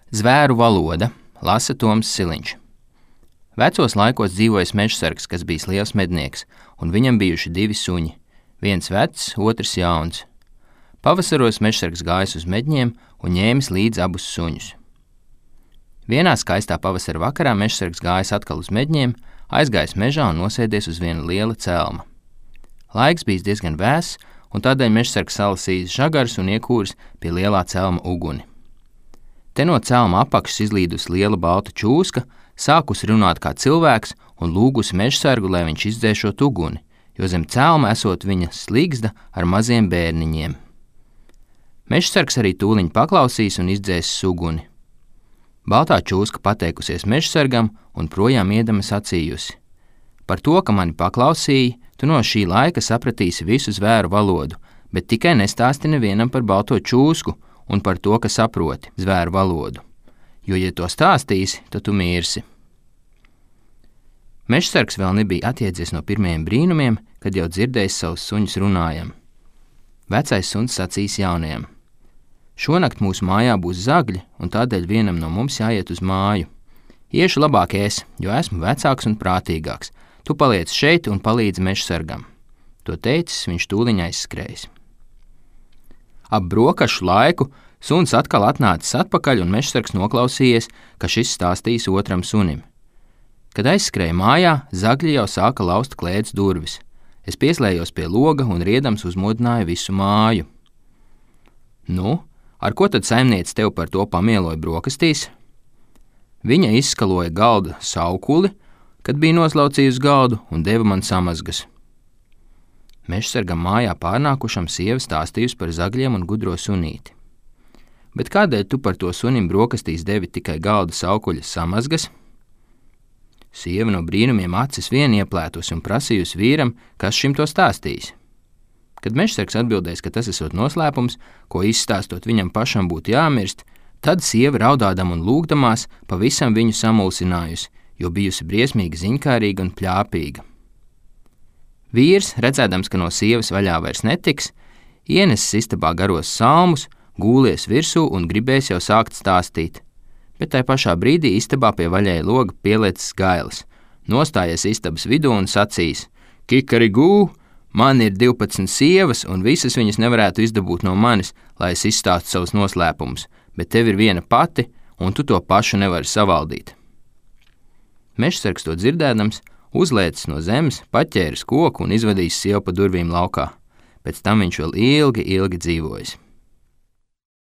Zvēru valoda, lasa Toms Siliņš. Vecos laikos dzīvojis mežsargs, kas bijis liels mednieks, un viņam bijuši 2 suņi, viens vecs, otrs jauns. Pavasaros mežsargs gājis uz medņiem un ņēmis līdzi abus suņus. Vienā skaistā pavasara vakarā mežsargs gājis atkal uz medņiem, aizgājis mežā un nosēdies uz viena liela celma. Laiks bijis diezgan vēss, un tādēļ mežsargs salasījis žagarus un iekūris pie lielā celma uguni. Te no celma apakšas izlīdus liela balta čūska, sākusi runāt kā cilvēks un lūgusi mežsargu, lai viņš izdzēšot uguni, jo zem celma esot viņa sligzda ar maziem bērniņiem. Mežsargs arī tūliņ paklausīs un izdzēsis uguni. Baltā čūska pateikusies mežsargam un projām iedama sacījusi: par to, ka mani paklausīji, tu no šī laika sapratīsi visu zvēru valodu, bet tikai nestāsti nevienam par balto čūsku un par to, ka saproti zvēru valodu, jo, ja to stāstīsi, tad tu mirsi. Mežsargs vēl nebija atjēdzies no pirmajiem brīnumiem, kad jau dzirdējis savus suņus runājam. Vecais suns sacīs jaunajam: šonakt mūsu mājā būs zagļi, un tādēļ vienam no mums jāiet uz māju. Iešu labāk es, jo esmu vecāks un prātīgāks. Tu paliec šeit un palīdzi mežsargam. To teicis, viņš tūliņ aizskrējis. Ap brokašu laiku suns atkal atnācis atpakaļ, un mežsargs noklausījies, ka šis stāstīs otram sunim. Kad aizskrēja mājā, zagļi jau sāka laust klēts durvis. Es pieslējos pie loga un riedams uzmodināju visu māju. Nu, ar ko tad saimniece tev par to pamieloja brokastīs? Viņa izskaloja galda saukuli, kad bija noslaucījusi galdu, un deva man samazgas. Mežsargam mājā pārnākušam sieva stāstījusi par zagļiem un gudro sunīti. Bet kādēļ tu par to sunim brokastīs devi tikai galda saukuļa samazgas? Sieva no brīnumiem acis vien ieplētusi un prasījusi vīram, kas šim to stāstījis. Kad mežsargs atbildēs, ka tas esot noslēpums, ko izstāstot viņam pašam būtu jāmirst, tad sieva raudādam un lūgdamās pavisam viņu samulsinājusi, jo bijusi briesmīgi ziņkārīga un pļāpīga. Vīrs, redzēdams, ka no sievas vaļā vairs netiks, ienesis istabā garos salmus, gūlies virsū un gribēs jau sākt stāstīt. Bet tai pašā brīdī istabā pie vaļēja loga pieliecis gailis, nostājies istabas vidū un sacīs: kikarigū, man ir 12 sievas, un visas viņas nevarētu izdabūt no manis, lai es izstāstu savus noslēpumus, bet tev ir viena pati, un tu to pašu nevari savaldīt. Mežsargs to dzirdēdams, uzlēcis no zemes, paķēris koku un izvadījis sievu pa durvīm laukā. Pēc tam viņš vēl ilgi dzīvojis.